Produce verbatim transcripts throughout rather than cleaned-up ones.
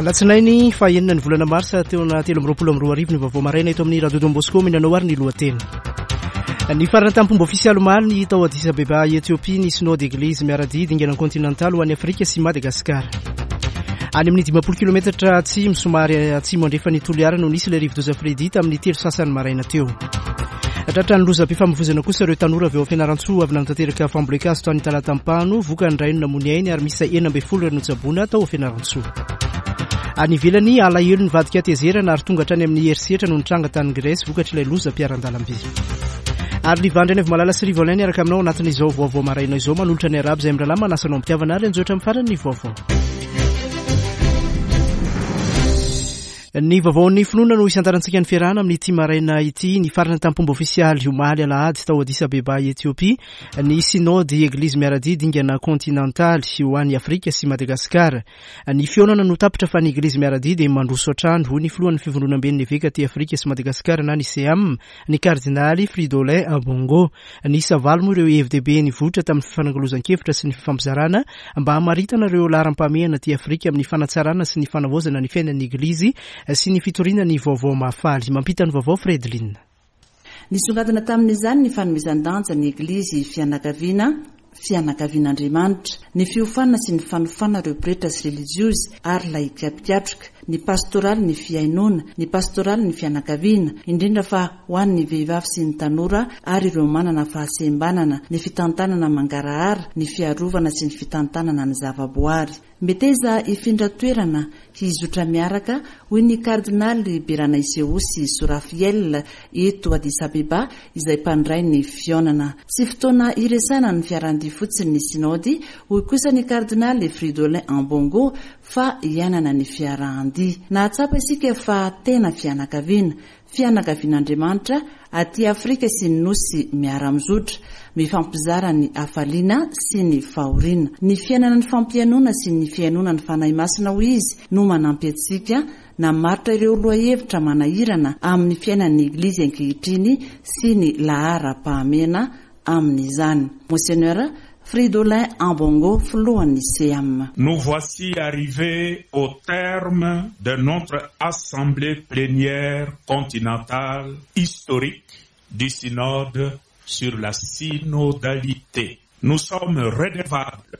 Alatsinainy fahenina ny volana marsa taona telo amby roapolo amby roa arivo ny vaovao maraina eto amin'ny Radio Don Bosco. Minanao ary ny lohateny. Nifarana tamin'ny ofisialy omaly ny tao Addis Abeba, Ethiopie, ny synode Eglizy miara-dia dingana kontinantaly ho an'i Afrika sy Madagasikara. Any amin'ny dimampolo kilometatra atsimo somary atsimo andrefan'ny Toliara no nisy ilay rivodoza Freddy tamin'ny telo sasany maraina teo. Tratra ny lozam-pifamoivoizana kosa ireo tanora avy ao Fianarantsoa avy nanatanteraka fambolen-kazo tany Talatampano, vokany iray no namoy ny ainy ary miisa enina ambin'ny folo ireo notsaboina tao Fianarantsoa. Any ivelany, alahelo nivadika hatezerana ary tonga hatrany amin'ny herisetra no nitranga tany Grèce vokatr'ilay lozam-piaran-dalamby. Ary Livandry Any Malala sy Rivolin niaraka aminao anatin'izao vaovao maraina izao, manolotra ny arabo izay mirahalahy manasa anao am-pitiavana ary anjotra amin'ny farany ny vaovao. Ny vaovaon'ny finoana no isantarantsika ny fiarahana amin'ity maraina ity. Nifarana tamin'ny fomba ofisialy omaly alahady tao Addis Abeba, Ethiopie, ny synode Eglizy miara-dia dingana kontinantaly ho an'i Afrika sy Madagasikara. Ny fihaonana no tapitra fa ny Eglizy miara-dia dia mandroso hatrany, hoy ny filohan'ny fivondronamben'ny eveka aty Afrika sy Madagasikara na ny SEAM, ny kardinaly Fridolin Ambongo. Niisa valo moa ireo hevi-dehibe nivoitra tamin'ny fifanakalozan-kevitra sy ny fifampizarana mba hamaritana ireo laharam-pahamehana aty Afrika amin'ny fanatsarana sy ny fanavaozana ny fiainan'ny Eglizy sy ny fitoriana ny vaovao mahafaly. Mampita ny vaovao Fredline. Nisongadina tamin'izany ny fanomezan-danja ny Eglizy fianakaviana, fianakavian'Andriamanitra, ny fiofanana sy ny fanofana ireo pretra sy relijiozy ary laika mpikatroka, ny pastoraly ny fihainoana, ny pastoraly ny fianakaviana, indrindra fa ho an'ny vehivavy sy ny tanora ary ireo manana fahasembanana, ny fitantanana mangarahara, ny fiarovana sy ny fitantanana ny zavaboary. Meteza hifindra toerana hizotra miaraka, hoy ny kardinaly Beranaiseosy Sorafiel eto Addis Abeba izay mpandray ny fihaonana. Tsy fotoana iresahana ny fiarandia fotsiny ny synody, hoy kosa ny kardinaly Fridolin Ambongo, fa iainana ny fiarahandia. Nahatsapa isika fa tena fianakaviana, fianakavian'Andriamanitra aty Afrika sy ny nosy miara-mizotra, mifampizara ny hafaliana sy ny fahoriana. Ny fiainana ny fampihainoana sy ny fihainoana ny Fanahy Masina, hoy izy, no manampy antsika namaritra ireo lohahevitra manahirana amin'ny fiainan'ny Eglizy ankehitriny sy ny laharam-pahamehana amin'izany. Monseigneur Fridolin Ambongo, filohan'ny SEAM. Nous voici arrivés au terme de notre assemblée plénière continentale historique du synode sur la synodalité. Nous sommes redevables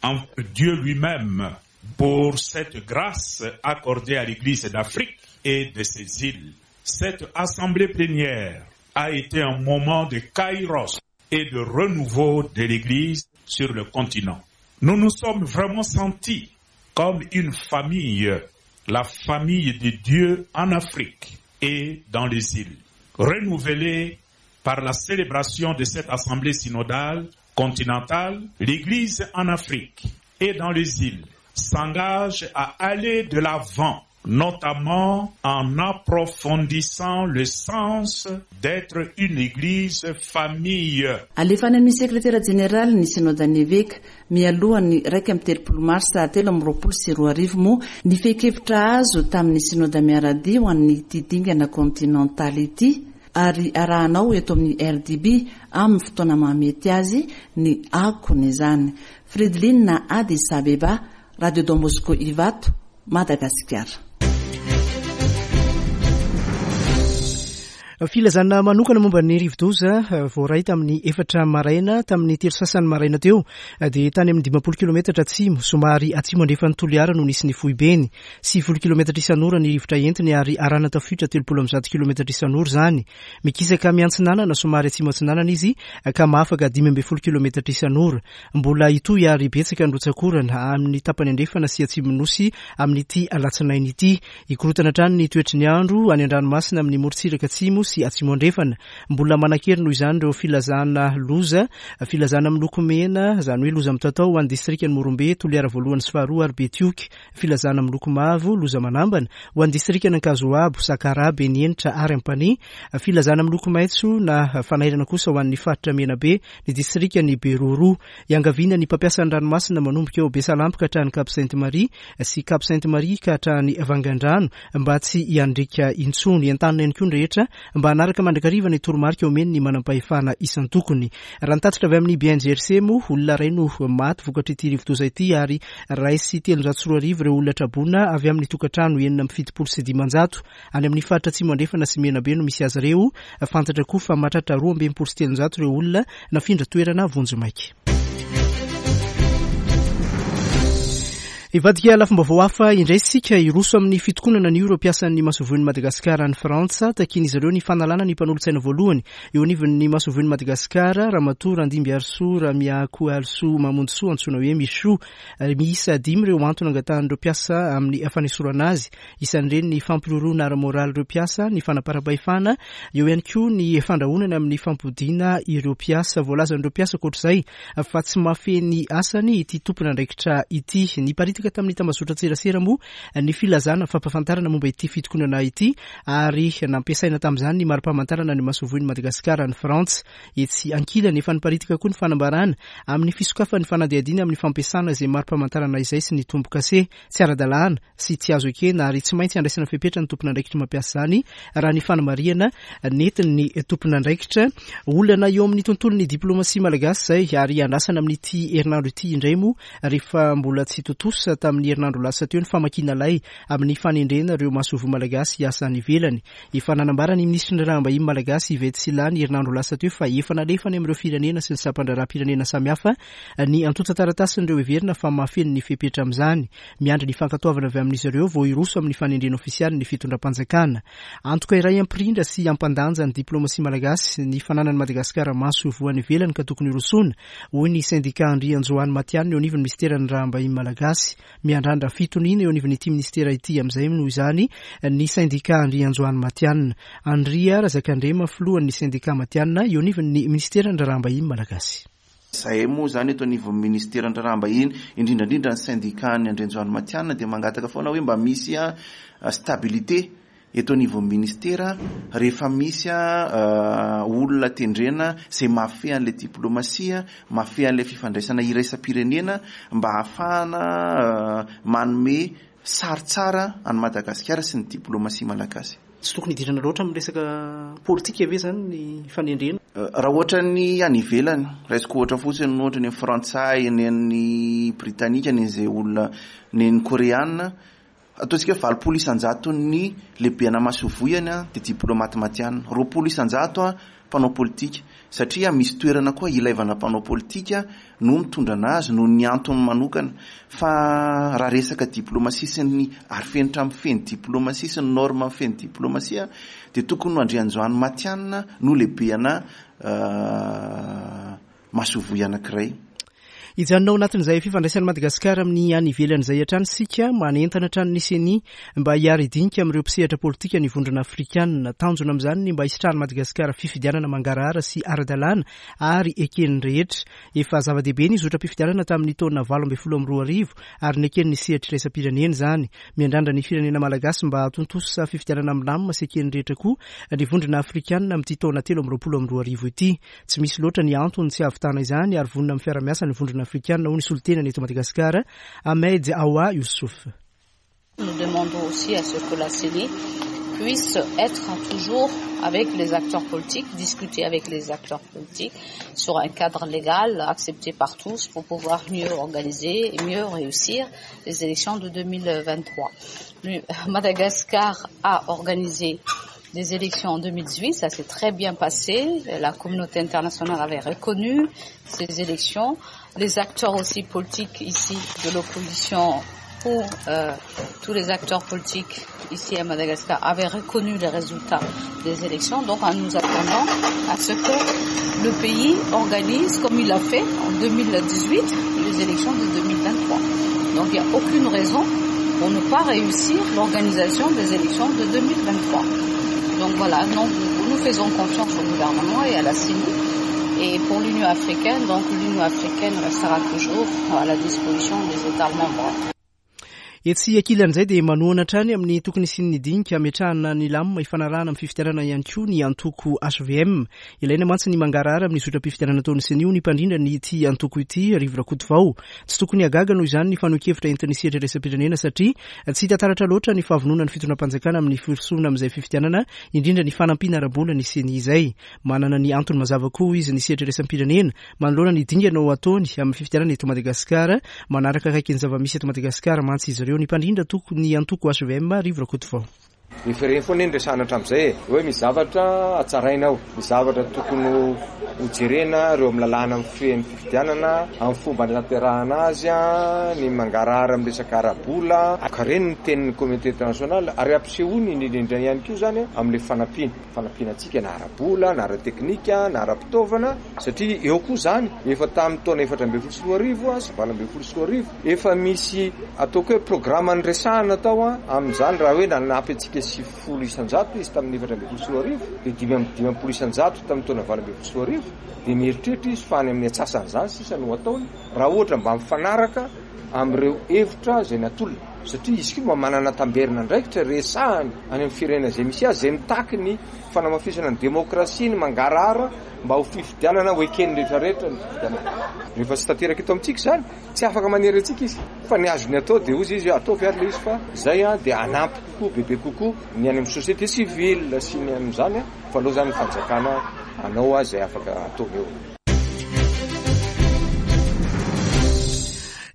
envers Dieu lui-même pour cette grâce accordée à l'Église d'Afrique et de ses îles. Cette assemblée plénière a été un moment de kairos et de renouveau de l'Église sur le continent. Nous nous sommes vraiment sentis comme une famille, la famille de Dieu en Afrique et dans les îles. Renouvelée par la célébration de cette assemblée synodale continentale, l'Église en Afrique et dans les îles s'engage à aller de l'avant, notamment en approfondissant le sens d'être une église famille. Alefa any amin'ny sekretera jeneraly ny synodan'ny eveka mialohan'ny raika amby telopolo marsa telo amby roapolo sy roa arivo moa ny fehi-kevitra azo tamin'ny synoda miara-dia ho an'ity dingana kontinantaly ity, ary arahanao eto amin'ny R D B amin'ny fotoana mahamety azy ny akony izany. Fredline, Addis Abeba, Radio Don Bosco Ivato, Madagasikara. Filazana manokana momba ny rivodoza voaray tamin'ny efatra maraina. Tamin'ny telo sasany maraina teo dia tany amin'ny dimampolo kilometatra atsimo somary atsimo andrefan'ny Toliara no nisy ny foibeny. Sivifolo kilometatra isan'ora ny rivotra entiny ary arahana tafiotra telopolo amby zato kilometatra isan'ora izany. Mikisaka miantsinanana somary atsimo atsinanana izy ka mahafaka dimy ambin'ny folo kilometatra isan'ora. Mbola hitohy ary betsaka ny rotsakorana amin'ny tapany andrefana sy atsimo nosy amin'ity alatsinainy ity. Hikorotana hatrany ny toetry ny andro any an-dranomasina amin'ny morontsiraka atsimo sy atsimo andrefana. Mbola manan-kery noho izany ireo filazana loza, filazana miloko mena, izany hoe loza mitatao, ho an'ny distrika ny Morombe, Toliara voalohany sy faharoa ary Betioky. Filazana miloko mavo, loza manambana, ho an'ny distrika n'Ankazoabo, Sakaraha, Benienitra ary Ampanihy. Filazana miloko maitso na fanairana kosa ho an'ny faritra Menabe, ny distrika ny Beroro. Iangaviana ny mpampiasa ny ranomasina manomboka eo Besalampy ka hatrany Cap Sainte Marie sy Cap Sainte Marie ka hatrany Vangandrano mba tsy hiandrika intsony. Entanina ihany koa ny rehetra mba hanaraka mandrakariva ny toromarika omen'ny manam-pahefana isan-tokony. Raha ny tatitra avy amin'ny B N G R C moa, olona iray no maty vokatra ity rivodoza ity ary iray sy telonjato sy roa arivo ireo olona traboina avy amin'ny tokantrano enina amby fitopolo sy dimanjato any amin'ny faritra Atsimo Andrefana sy Menabe no misy azy ireo. Fantatra koa fa mahatratra roa amby enimpolo sy telonjato ireo olona nafindra toerana vonjimaika. Ivadika lafim-baovao hafa indray isika. Hiroso amin'ny fitokonana ny ireo mpiasan'ny masoivohon'i Madagasikara any Frantsa. Takian'izy ireo ny fanalana ny mpanolotsaina voalohany eo anivon'ny masoivohon'i Madagasikara, Ramatoa Randimby Arsoa Ramiako Alsoa Mamonjisoa, antsoina hoe Michou. Miisa dimy ireo antony angatahan'ireo mpiasa amin'ny fanesorana azy. Isan'ireny ny fampiroroana ara-moraly ireo mpiasa, ny fanaparam-pahefana, eo ihany koa ny fandrahonana amin'ny fampodiana ireo mpiasa. Voalazan'ireo mpiasa ankoatr'izay fa tsy mahafehy ny asany ity tompon'andraikitra ity. Niparitaka tamin'ny tambazotra tserasera moa ny filazana fampahafantarana momba ity fitokonana ity ary nampiasaina tamin'izany ny mari-pamantarana ny masoivohon'i Madagasikara any Frantsa. Etsy ankilany, efa niparitaka koa ny fanambarana amin'ny fisokafan'ny fanadihadiana amin'ny fampiasana izay mari-pamantarana izay sy ny tombokase. Tsy ara-dalàna sy tsy azo ekena ary tsy maintsy andraisana fepetra ny tompon'andraikitra mampiasa izany, raha ny fanamarihana nentin'ny tompon'andraikitra. Olana eo amin'ny tontolon'ny diplomasia malagasy izay ary andrasana amin'ity herinandro ity indray moa, rehefa mbola tsy tontosa tamin'ny herinandro lasa teo ny famakiana lay amin'ny fanendrena ireo masoivoho malagasy hiasa any ivelany. Efa nanambara ny minisitry ny raharaham-bahiny malagasy Yvette Sylla ny herinandro lasa teo fa efa nalefany amin'ireo firenena sy ny sampan-draharaham-pirenena samihafa ny antontan-taratasin'ireo heverina fa mahafeno ny fepetra amin'izany. Miandry ny fankatoavana avy amin'izy ireo vao hiroso amin'ny fanendrena ofisialy ny fitondram-panjakana. Antoka iray hampirindra sy hampandanja ny diplomasia malagasy ny fananan'i Madagasikara masoivoho any ivelany ka tokony hirosoana, hoy ny sindika Andrianjoany Matianina eo anivon'ny ministeran'ny raharaham-bahiny malagasy. Miandrandra fitoniana eo anivon'ity ministera ity amin'izay noho izany ny sindika Andrianjoany Matianina. Andria Razakandrema, filohan'ny sindika Matianina eo anivon'ny ministeran'ny raharaham-bahiny malagasy. Zahay moa zany eto anivon'ny ministeran'ny raharaham-bahiny, indrindrandrindra ny syndicat ny Andrianjoany Matianina, dia mangataka foana hoe mba misy a stabilité eto anivon'ny ministera rehefa misy a olona tendrena zay mahafehy an'le diplomasia, mahafehy an'le fifandraisana iraisam-pirenena, mba ahafahana manome sary tsara any Madagasikara sy ny diplomasia malagasy. Tsy tokony hidirana loatra amin'ny resaka politika ve zany ny fanendrena? Raha ohatra ny any ivelany, raisiko ohatra fotsiny, ohatra ny frantsay, ny an'ny britanika, ny an'izay olona, ny ny koreana, ataontsika hoe valopolo isanjato ny lehibe ana masoivoho a de diplomate matianina, roapolo isanjato a mpanao politika, satria misy toerana koa ilaivana mpanao politika no mitondra anazy noho ny antony manokana. Fa raha resaka diplomasia sy ny arofenitra mifehy ny diplomasia sy ny norme mifehy ny diplomasia, de tokony no Andrianjoany Matianina no lehibe ana masoivoho anankiray. Hijanona ao anatin'izay fifandraisan'i Madagasikara amin'ny any ivelan'izay hatrany sika. Manentana hatrany ny CENI mba hiara-hidinika amin'ireo mpisehatra politika ny Vondrona Afrikanina. Tanjona amin'izany ny mba hisitrahan'i Madagasikara fifidianana mangarahara sy ara-dalàna ary eken'ny rehetra. Efa zava-dehibe ny zotram-pifidianana tamin'ny taona valo amby folo amby roa arivo ary neken'ny sehatra iraisam-pirenena izany. Miandrandra ny firenena malagasy mba hahatontosa fifidianana milamina sy eken'ny rehetra koa ny Vondrona Afrikanina amin'ity taona telo amby roapolo amby roa arivo ity. Tsy misy loatra ny antony tsy hahavitana izany ary vonona amin'ny fiarahamiasa ny Vondrona Afrikanina, hoy ny solontenany eto Madagasikara, Ahmed Awa Youssouf. Nous demandons aussi à ce que la CENI puisse être toujours avec les acteurs politiques, discuter avec les acteurs politiques sur un cadre légal accepté par tous pour pouvoir mieux organiser et mieux réussir les élections de deux mille vingt-trois. Madagascar a organisé des élections en deux mille dix-huit, ça s'est très bien passé. La communauté internationale avait reconnu ces élections. Les acteurs aussi politiques ici de l'opposition ou euh, tous les acteurs politiques ici à Madagascar avaient reconnu les résultats des élections. Donc nous attendons à ce que le pays organise, comme il l'a fait en deux mille dix-huit, les élections de deux mille vingt-trois. Donc il n'y a aucune raison pour ne pas réussir l'organisation des élections de deux mille vingt-trois. Donc voilà, donc nous faisons confiance au gouvernement et à la CENI. Et pour l'Union africaine, donc l'Union africaine restera toujours à la disposition des États membres. Etsy ankilan'izay dia manohana hatrany amin'ny tokony hisian'ny dinika ametrahana ny lamina ifanarahana amin'ny fifidianana ihany koa ny antoko H V M. Ilaina mantsy ny mangarahara amin'ny zotram-pifidianana ataon'ny CENI ny mpandrindra ny ity antoko ity, Rivo Rakotovao. Tsy tokony hagaga noho izany ny fanehoan-kevitra entin'ny sehatra iraisam-pirenena satria tsy hita taratra loatra ny fahavononan'ny fitondram-panjakana amin'ny firosoana amin'izay fifidianana, indrindra ny fanampiana ara-bola ny CENI izay. Manana ny antony mazava koa izy ny sehatra iraisam-pirenena manoloana ny dingana ho ataony amin'ny fifidianana eto Madagasikara. Manaraka akaiky ny zava-misy eto Madagasikara mantsy izy ireo. Ny mpandrindra ny antoko H V M, Rivo Rakotovao. Efa ireny foana ny resahana hatramin'izay e, hoe misy zavatra hatsaraina ao, misy zavatra tokony hojerena ireo amin'ny lalàna mifehy ny fifidianana, amin'ny fomba anatanterahana azy, ny mangarahara amin'ny resaka ara-bola. Ka ireny ny tenin'ny communauté internationale ary ampisehoany indrindra ihany koa izany amin'ilay fanampiana, fanampiana antsika na ara-bola, na ara-teknika, na ara-pitaovana, satria eo koa izany efa tamin'ny taona efatra ambin'ny folo sy roa arivo sy valo ambin'ny folo sy roa arivo efa misy ataoko hoe programme niresahana tao amin'izany, raha hoe nanampy antsika sivifolo isan-jato izy tamin'ny efatra ambin'ny folo sy roa arivo, dia dimy amby dimampolo isan-jato tamin'ny taona valo ambin'ny folo sy roa arivo, dia mieritreritra izy fa any amin'ny antsasan'izany sisa no ataony raha ohatra mba mifanaraka amin'ireo hevitra izay natolony, satria izy koa mba manana tamberina andraikitra resahany any amin'ny firenena izay misy azy, izay mitaky ny fanamafisana ny demokrasia, ny mangarahara mba ho fifidianana ho eken'ny rehetrarehetra ny fifidianana. Rehefa tsy tanteraka eto amintsika izany, tsy afaka manery antsika izy, fa ny azony atao dia hozy izy ataovy ary ilay izy, fa izay dia hanampy kokoa, bebe kokoa ny any amin'ny société civile sy ny amin'izany, fa aloha izany ny fanjakana hanao azy izay afaka ataony eo.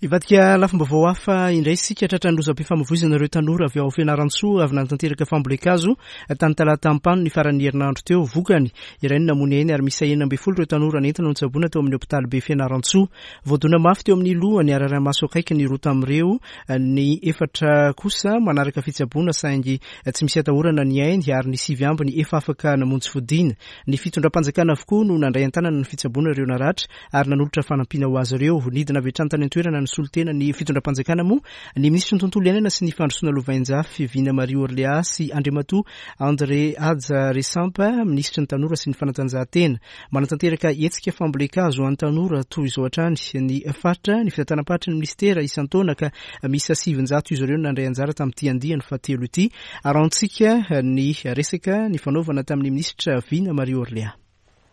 Hivadika lafim-baovao hafa indray isika. Tratran'ny lozam-pifamoivoizana ireo tanora avy ao Fianarantsoa avy nanatanteraka fambolen-kazo tany Talata Ampano ny faran'ny herinandro teo. Vokany, iray no namoy ny ainy ary miisa enina ambin'ny folo ireo tanora nentina notsaboina teo amin'ny hopitaly be Fianarantsoa. Voadona mafy teo amin'ny lohany ary ara-maso akaiky ny roa tamin'ireo, ny efatra kosa manaraka fitsaboana saingy tsy misy atahorana ny ainy ary ny sivy ambiny efa afaka namonjy fodiana. Ny fitondram-panjakana avokoa no nandray an-tanana ny fitsaboana ireo naratra ary nanolotra fanampiana ho azy ireo. Nidina avy hatrany tany an-toerana ny solontena ny fitondram-panjakana moa ny minisitry ny tontolo iainana sy ny fandrosoana lovainjafy Vina Marie Orléa sy Andriamatoa André Haja Resampa, minisitry ny tanora sy ny fanatanjahantena. Manatanteraka hetsika fambolen-kazo ho an'ny tanora toy izao hatrany ny faritra, ny fitantanam-paritry ny ministera isan-taona ka miisa sivinjato izy ireo no nandray anjara tamin'ity andiany fahatelo ity. Arahantsika ny resaka ny fanaovana tamin'ny minisitra Vina Marie Orléa.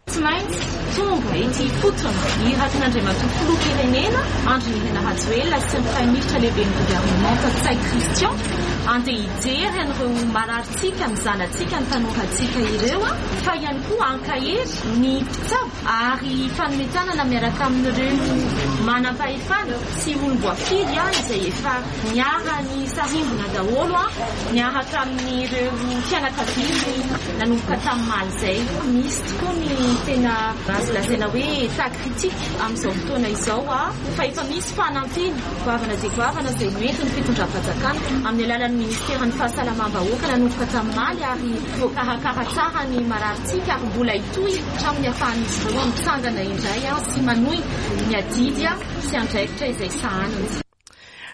Tsy maintsy tonga ety ifotony iratin'Andriamatoa filoham-pirenena Andry Nirina Rajoelina sy ny praiminisitra lehiben'ny governemanta Ntsay Christian andeha hijery an'ireo mararintsika, ny zanatsika, ny tanorantsika ireo, fa ihany koa ankahery ny mpitsabo ary fanometanana miaraka amin'ireo manam-pahefana sy olom-boafidy izay efa niara-ny sarimbona daholo niaraka amin'ireo fianakaviany nanomboka tamin'ny maly izay. Misy tokoa ny tena azo lazaina hoe état critique amin'izao fotoana izao, fa efa misy fanampiana goavana dia goavana izay noentin'ny fitondram-panjakana amin'ny alalan'ny ministeran'ny fahasalamam-bahoaka nanomboka tamin'ny maly ary voakarakara tsara ny mararintsika ary mbola hitohy hatramin'ny ahafahan'izy ireo mitsangana indray sy manohy ny adidy sy andraikitra izay sahaniny.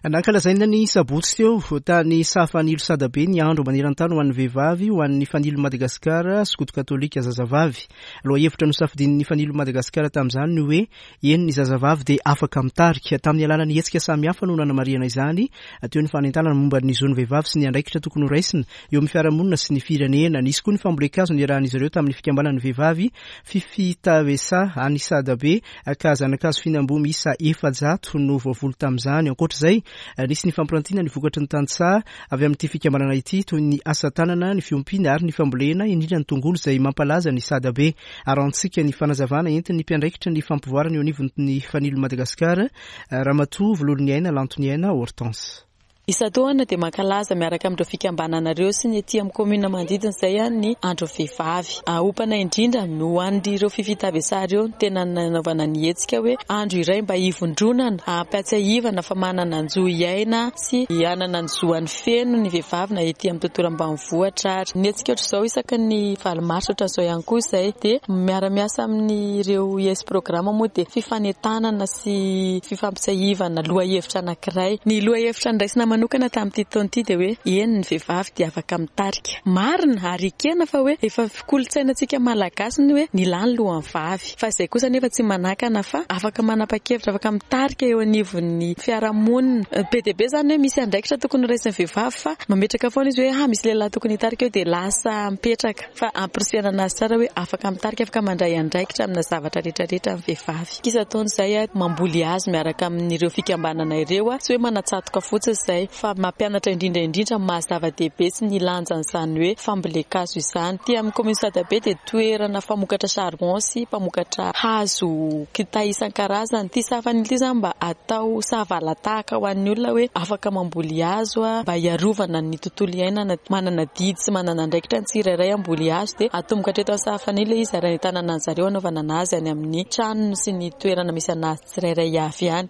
Nankalazaina ny sabotsy teo tany Sahafanilo Sadabe ny andro maneran-tany ho an'ny vehivavy ho an'ny Fanilo Madagasikara skoto katolika zazavavy. Lohahevitra nosafidian'ny Fanilo Madagasikara tamin'izany ny hoe eny ny zazavavy dia afaka mitarika. Tamin'ny alalan'ny hetsika samihafa no nanamarihana izany, teo ny fanentanana momba ny zon'ny vehivavy sy ny andraikitra tokony horaisina eo amin'ny fiarahamonina sy ny firenena. Nisy koa ny fambolen-kazo niarahan'izy ireo tamin'ny fikambanan'ny vehivavy Fifitavesa any Sadabe ka zanakazo fihinam-boa miisa efajato no voavoly tamin'izany. Ankoatra izay, nisy ny fampirantiana ny vokatry ny tantsaha avy amin'ity fikambanana ity toy ny asa tanana, ny fiompiana ary ny fambolena, indrindra ny tongolo izay mampalaza ny Sadabe. Arahantsika ny fanazavana entin'ny mpiandraikitra ny fampivoarana eo anivon'ny Fanilo Madagasikara, Ramatoa Vololoniaina Lantoniaina Hortense. Isan-taona dia mankalaza miaraka amin'ireo fikambananareo sy ny aty amin'ny commune manodidina izay ny andro vehivavy. Aompana indrindra no an'ireo fifitavesa ireo no tena nanaovana ny hetsika hoe andro iray mba hivondronana, hampiatsiahivana fa manana ny zo hiaina sy hanana ny zo an'ny feno ny vehivavy na ety amin'ny tontolo ambanivohitra ary. Ny hetsika ohatr'izao isaky ny valo marsa ohatran'izao ihany koa izay dia miara-miasa amin'ireo I S programme moa dia fifanentanana sy fifampitsiahivana lohahevitra anankiray. Ny lohahevitra niraisina manokana tamin'ity taona ity dia hoe eny ny vehivavy dia afaka mitarika. Marina ary ekena fa hoe efa kolontsainantsika malagasy ny hoe ny lahy ny lohan'ny vavy. Fa izay kosa nefa tsy manakana fa afaka manapa-kevitra, afaka mitarika eo anivon'ny fiarahamonina. Be dia be izany hoe misy andraikitra tokony ho raisin'ny vehivavy fa mametraka foana izy hoe ah misy lehilahy tokony hitarika eo dia lasa mipetraka. Fa ampirisihana anazy tsara hoe afaka mitarika, afaka mandray andraikitra amina zavatra rehetrarehetra ny vehivavy. Isan-taona izay mamboly hazo miaraka amin'ireo fikambanana ireo, tsy hoe manatsatoka fotsiny izay fa mampianatra indrindra indrindra maha zava-dehibe sy ny lanjan'izany hoe fambolen-kazo izany. Ty amin'ny commune Sadabe dia toerana famokatra charbon sy mpamokatra hazo kitay isan-karazany. Ty Sahafanilo ity izany mba atao savalatahaka ho an'ny olona hoe afaka mamboly hazo mba hiarovana ny tontolo iainana, manana didy sy manana andraikitra ny tsirairay hamboly hazo dia atomboka hatreto amin'ny Sahafanilo izy ary ahitana an'zareo anaovana anazy any amin'ny tranony sy ny toerana misy anazy tsirairay avy any.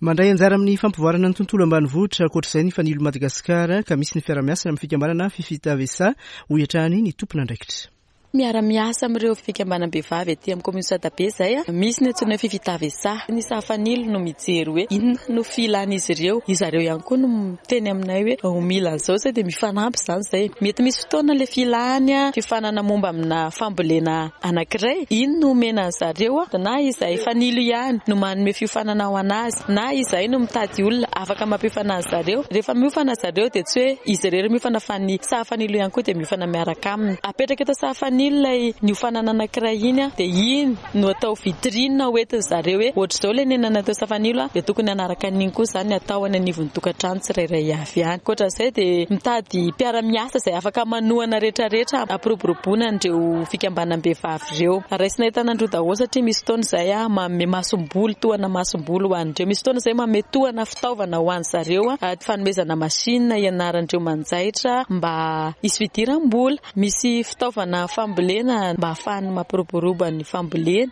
Mandray anjara amin'ny fampivoarana ny tontolo ambanivohitra ankoatr'izay ny Fanilo Madagasikara ka misy ny fiarahamiasa amin'ny fikambanana Fifitavesa hoy hatrany ny tompon'andraikitra. Miara-miasa amin'ireo fikambanam-behivavy aty amin'ny commune Sadabe izay, misy ny antsoina hoe Fifitavesa. Ny Sahafanilo no mijery hoe inona no filan'izy ireo. Izy ireo ihany koa no miteny aminay hoe ho mila an'izao izay dia mifanampy izany izay. Mety misy fotoana ilay filany, fiofanana momba amina fambolena anankiray, iny no omena an'zareo, na izay Fanilo ihany no manome fiofanana ho anazy, na izay no mitady olona afaka mampiofana an'zareo. Rehefa miofana zareo dia tsy hoe izy irery miofana fa ny Sahafanilo ihany koa dia miofana miaraka aminy. Apetraka eto Sahafanilo ilay niofanana anankiray iny dia iny no atao vitrine hoentin zareo hoe ohatr'izao ilay nenana teo Sahafanilo dia tokony hanaraka an'iny koa izany atao any anivon'ny tokantrano tsirairay avy any. Ankoatra izay dia mitady mpiara-miasa izay afaka manohana rehetrarehetra ampiroboroboana an'ireo fikambanam-behivavy ireo. Raisina entanandroa daholo satria misy fotoana izay manome masomboly, tohana masomboly ho an'ireo. Misy fotoana izay manome tohana fitaovana ho an'zareo, fanomezana machine hianaran'ireo manjaitra mba hisy fidiram-bola. Misy fitaovana fambolena mba ahafahany mampiroborobo ny fambolena.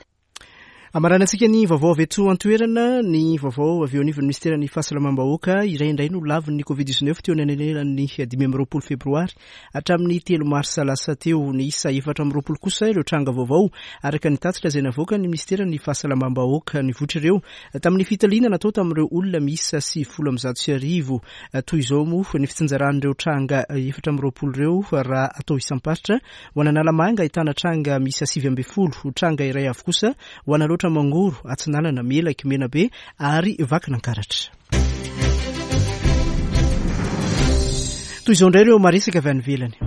Amaranantsika ny vaovao avy eto an-toerana, ny vaovao avy eo anivon'ny ministeran'ny fahasalamam-bahoaka. Iray indray no lavin'ny covid dix-neuf teo anelanelan'ny dimy amby roapolo febroary hatramin'ny telo marsa lasa teo. Ny isa efatra amby roapolo kosa ireo tranga vaovao araka ny tatitra izay navoaka ny ministeran'ny fahasalamam-bahoaka. Nivoitra ireo tamin'ny fitaliana natao tamin'ireo olona miisa sivifolo amby zato sy arivo. Toy izao moa ny fitsinjaran'ireo tranga efatra amby roapolo ireo raha atao isam-paritra. Ho an'Analamanga ahitana tranga miisa sivy amby folo, tranga iray avy kosa ho an'Alaotra Mangoro, Atsinanana, Melaky, Menabe ary Vakinankaratra. Toy izao indray ireo maresaka avy any ivelany.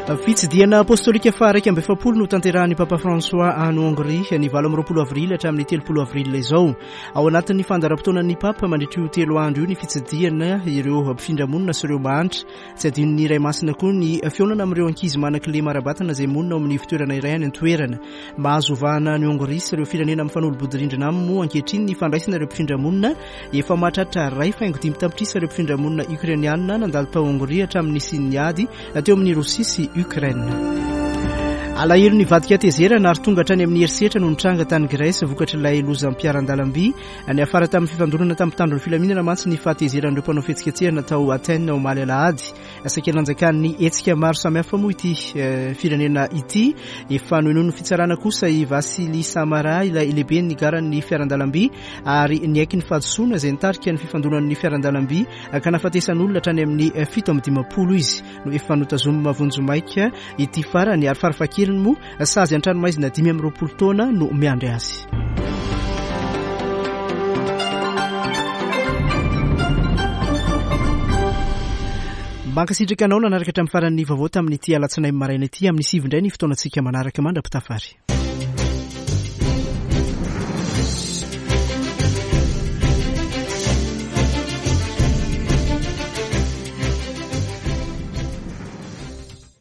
Fitsidihana apostolika faha-iraika amby efapolo no tanterahan'ny Papa François any Hongrie ny valo amby roapolo avrily hatramin'ny telopolo avrily izao. Ao anatin'ny fandaharam-potoanan'ny Papa mandritra io telo andro io ny fitsidihana ireo mpifindramonina sy ireo mahantra. Tsy adinon'ny Ray Masina koa ny fihaonana amin'ireo ankizy manan-kilema ara-batana izay monina ao amin'ny fitoerana iray any an-toerana. Mahazo vahana any Hongrie sy ireo firenena mifanolo-bodirindrina aminy moa ankehitriny ny fandraisana ireo mpifindramonina. Efa mahatratra iray faingo dimy tapitrisa ireo mpifindramonina ukrainiana nandalo tao Hongrie hatramin'ny nisian'ny ady teo amin'ny Rosia sy Ukraine. Alahelo nivadika tezerana ary tonga hatrany amin'ny herisetra no nitranga tany Grèce vokatr'ilay lozam-piaran-dalamby. Niafara tamin'ny fifandonana tamin'ny mpitandro ny filaminana mantsy ny fahatezeran'ireo mpanao fihetsiketsehana tao Athènes omaly alahady. Saika nanjakan'ny hetsika maro samihafa moa ity firenena ity. Efa nohenoin'ny fitsarana kosa i Vassili Samara, ilay lehiben'ny garan'ny fiaran-dalamby, ary niaiky ny fahadisoana izay nitarika ny fifandonan'ny fiaran-dalamby ka nahafatesan'olona hatrany amin'ny fito amby dimampolo izy. No efa notazomina vonjimaika ity farany ary farafahakeliny moa sazy an-tranomaizina dimy amby roapolo taona no miandry azy. Mankasitraka anao nanaraka hatramin'ny faran'ny vaovao tamin'ity alatsinainy maraina ity. Amin'ny sivy indray ny fotoanantsika manaraka mandra-pitafary.